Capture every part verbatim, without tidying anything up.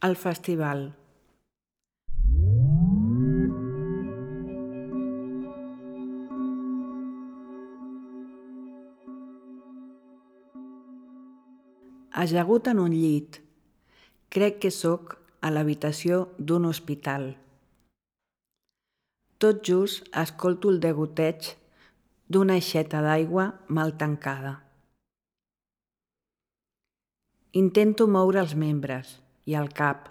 El festival. Ajagut en un llit, crec que sóc a l'habitació d'un hospital. Tot just escolto el degoteig d'una aixeta d'aigua mal tancada. Intento moure els membres i el cap,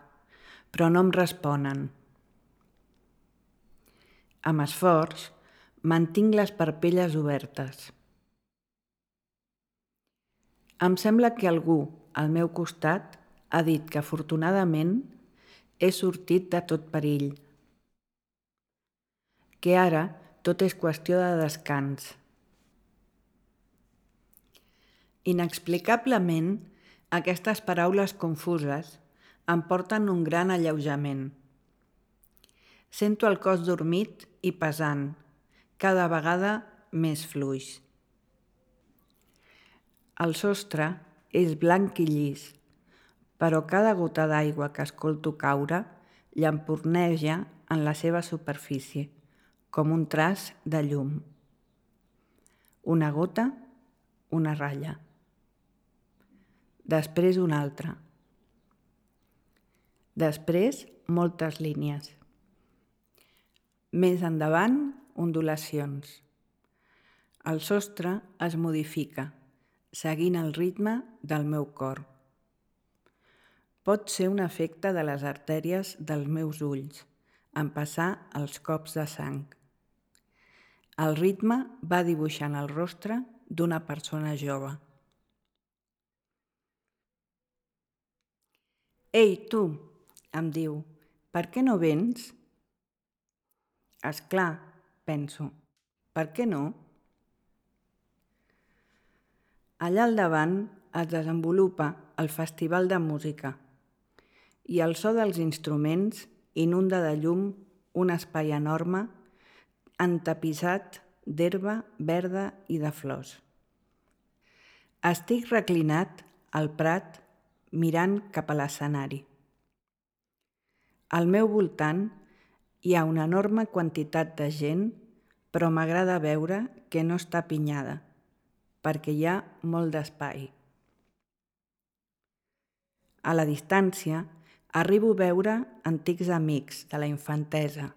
però no em responen. Amb esforç, mantinc les parpelles obertes. Em sembla que algú al meu costat ha dit que afortunadament he sortit de tot perill, que ara tot és qüestió de descans. Inexplicablement, aquestes paraules confuses em porten un gran alleujament. Sento el cos dormit i pesant, cada vegada més fluix. El sostre és blanc i llis, però cada gota d'aigua que escolto caure llampurneja en la seva superfície, com un traç de llum. Una gota, una ratlla. Després una altra. Després moltes línies. Més endavant, ondulacions. El sostre es modifica, seguint el ritme del meu cor. Pot ser un efecte de les artèries dels meus ulls, en passar els cops de sang. El ritme va dibuixant el rostre d'una persona jove. «Ei, tu!», em diu, «per què no vens?» «És clar», penso, «per què no?» Allà al davant es desenvolupa el festival de música i el so dels instruments inunda de llum un espai enorme entapissat d'herba verda i de flors. Estic reclinat al prat mirant cap a l'escenari. Al meu voltant hi ha una enorme quantitat de gent, però m'agrada veure que no està apinyada, perquè hi ha molt d'espai. A la distància, arribo a veure antics amics de la infantesa.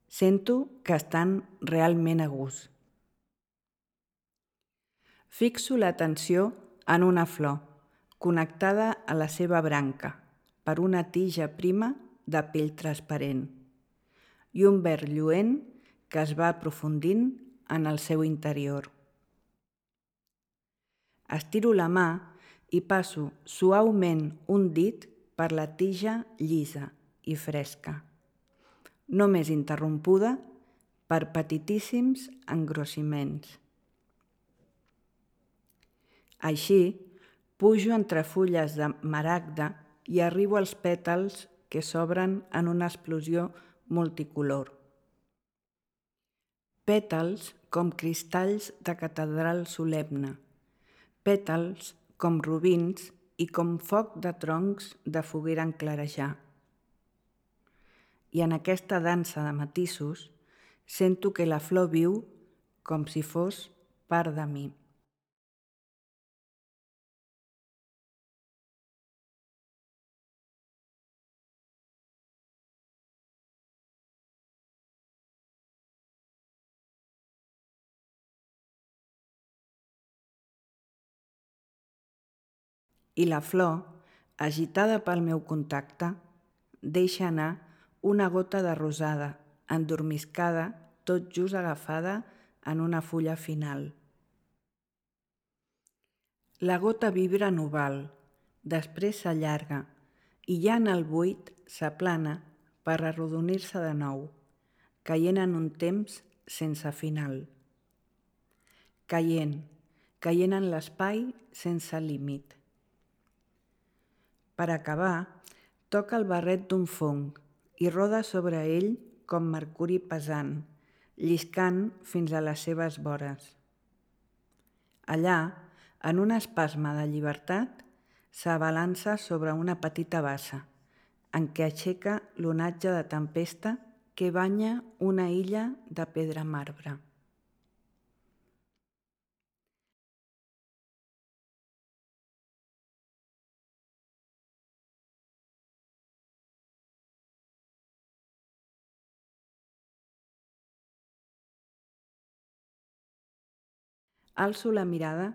Sento que estan realment a gust. Fixo l'atenció en una flor, connectada a la seva branca per una tija prima de pell transparent i un verd lluent que es va aprofundint en el seu interior. Estiro la mà i passo suaument un dit per la tija llisa i fresca, només interrompuda per petitíssims engrossiments. Així, pujo entre fulles de maragda i arribo als pètals que s'obren en una explosió multicolor. Pètals com cristalls de catedral solemne, pètals com robins i com foc de troncs de foguera en clarejar. I en aquesta dansa de matisos sento que la flor viu com si fos part de mi. I la flor, agitada pel meu contacte, deixa anar una gota de rosada, endormiscada, tot just agafada en una fulla final. La gota vibra en oval, després s'allarga i ja en el buit s'aplana per arrodonir-se de nou, caient en un temps sense final. Caient, caient en l'espai sense límit. Per acabar, toca el barret d'un fong i roda sobre ell com mercuri pesant, lliscant fins a les seves vores. Allà, en un espasme de llibertat, s'abalança sobre una petita bassa, en què aixeca l'onatge de tempesta que banya una illa de pedra marbre. Alço la mirada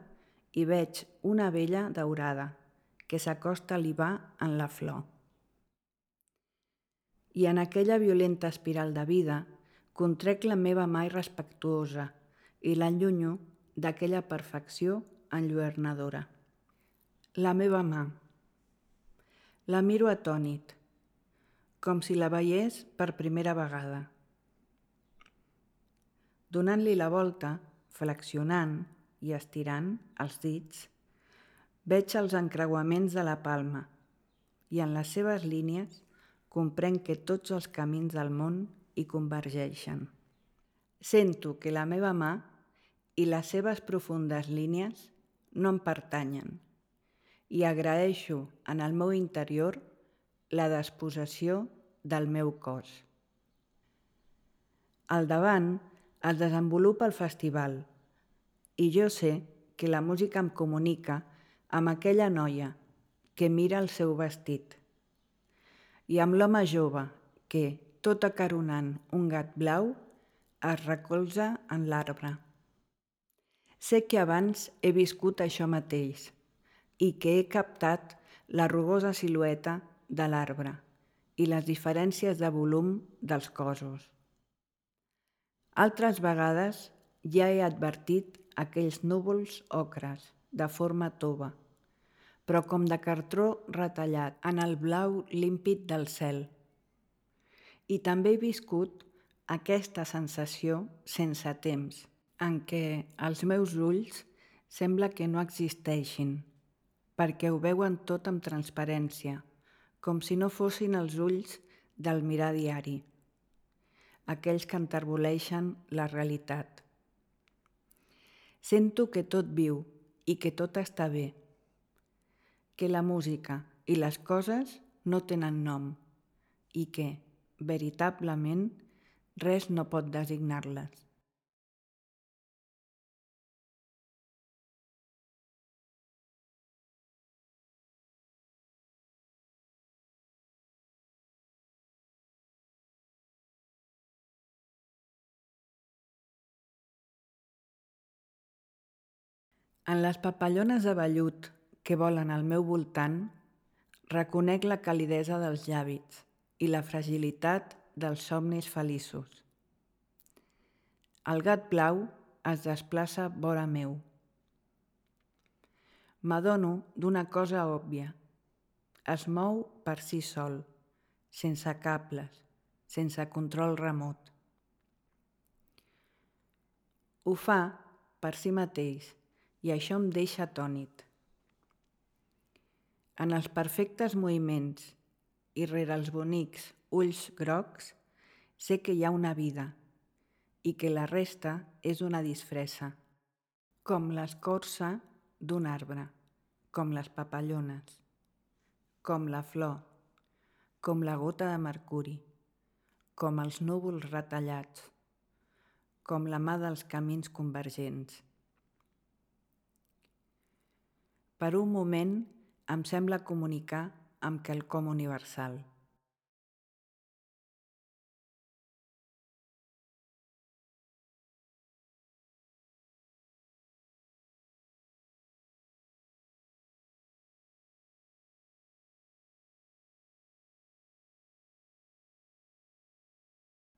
i veig una abella daurada que s'acosta a libar en la flor. I en aquella violenta espiral de vida contrec la meva mà irrespectuosa i l'enllunyo d'aquella perfecció enlluernadora. La meva mà. La miro atònit, com si la veiés per primera vegada. Donant-li la volta, flexionant i estirant els dits, veig els encreuaments de la palma i en les seves línies comprenc que tots els camins del món hi convergeixen. Sento que la meva mà i les seves profundes línies no em pertanyen i agraeixo en el meu interior la despossessió del meu cos. Al davant es desenvolupa el festival i jo sé que la música em comunica amb aquella noia que mira el seu vestit i amb l'home jove que, tot acaronant un gat blau, es recolza en l'arbre. Sé que abans he viscut això mateix i que he captat la rugosa silueta de l'arbre i les diferències de volum dels cossos. Altres vegades ja he advertit aquells núvols ocres de forma tova, però com de cartró retallat en el blau límpid del cel. I també he viscut aquesta sensació sense temps, en què els meus ulls sembla que no existeixin, perquè ho veuen tot amb transparència, com si no fossin els ulls del mirar diari, aquells que enterboleixen la realitat. Sento que tot viu i que tot està bé, que la música i les coses no tenen nom i que, veritablement, res no pot designar-les. En les papallones de vellut que volen al meu voltant, reconec la calidesa dels llavis i la fragilitat dels somnis feliços. El gat blau es desplaça vora meu. M'adono d'una cosa òbvia. Es mou per si sol, sense cables, sense control remot. Ho fa per si mateix i això em deixa atònit. En els perfectes moviments i rere els bonics ulls grocs sé que hi ha una vida i que la resta és una disfressa, com l'escorça d'un arbre, com les papallones, com la flor, com la gota de mercuri, com els núvols retallats, com la mà dels camins convergents. Per un moment em sembla comunicar amb quelcom universal.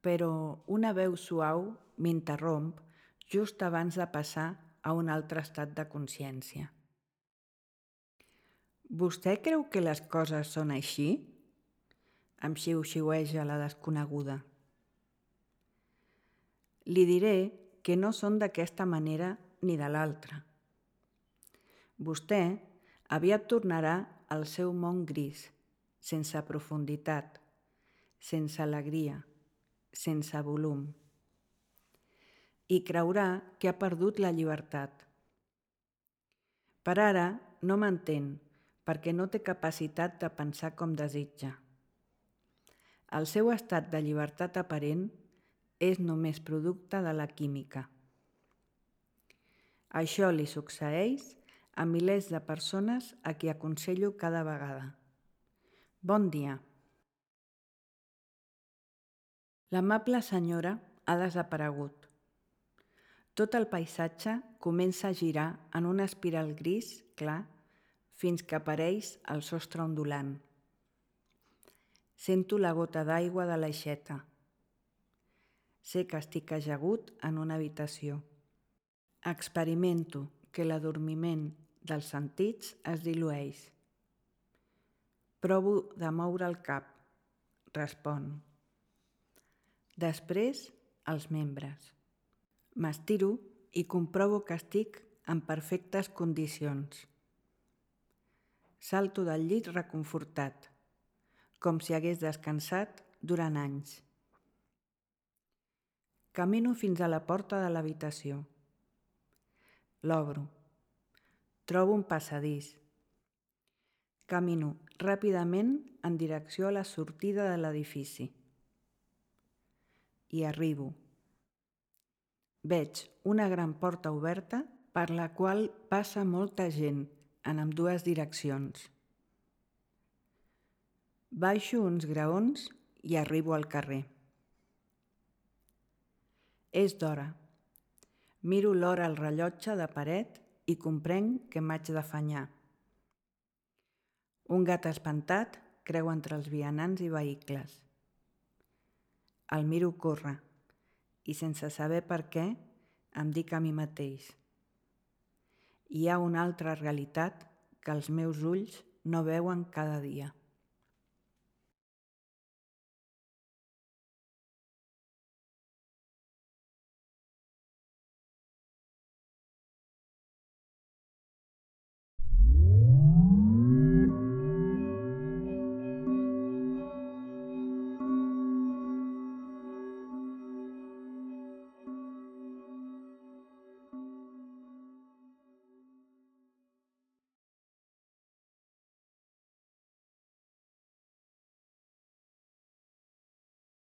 Però una veu suau m'interromp just abans de passar a un altre estat de consciència. Vostè creu que les coses són així? Em xiu-xiueja la desconeguda. Li diré que no són d'aquesta manera ni de l'altra. Vostè aviat tornarà al seu món gris, sense profunditat, sense alegria, sense volum. I creurà que ha perdut la llibertat. Per ara no m'entén, perquè no té capacitat de pensar com desitja. El seu estat de llibertat aparent és només producte de la química. Això li succeeix a milers de persones a qui aconsello cada vegada. Bon dia. L'amable senyora ha desaparegut. Tot el paisatge comença a girar en una espiral gris clar fins que apareix el sostre ondulant. Sento la gota d'aigua de l'aixeta. Sé que estic ajagut en una habitació. Experimento que l'adormiment dels sentits es dilueix. Provo de moure el cap, respon. Després, els membres. M'estiro i comprovo que estic en perfectes condicions. Salto del llit reconfortat, com si hagués descansat durant anys. Camino fins a la porta de l'habitació. L'obro. Trobo un passadís. Camino ràpidament en direcció a la sortida de l'edifici. I arribo. Veig una gran porta oberta per la qual passa molta gent en ambdues direccions. Baixo uns graons i arribo al carrer. És d'hora. Miro l'hora al rellotge de paret i comprenc que m'haig d'afanyar. Un gat espantat creu entre els vianants i vehicles. El miro córrer i sense saber per què em dic a mi mateix: hi ha una altra realitat que els meus ulls no veuen cada dia.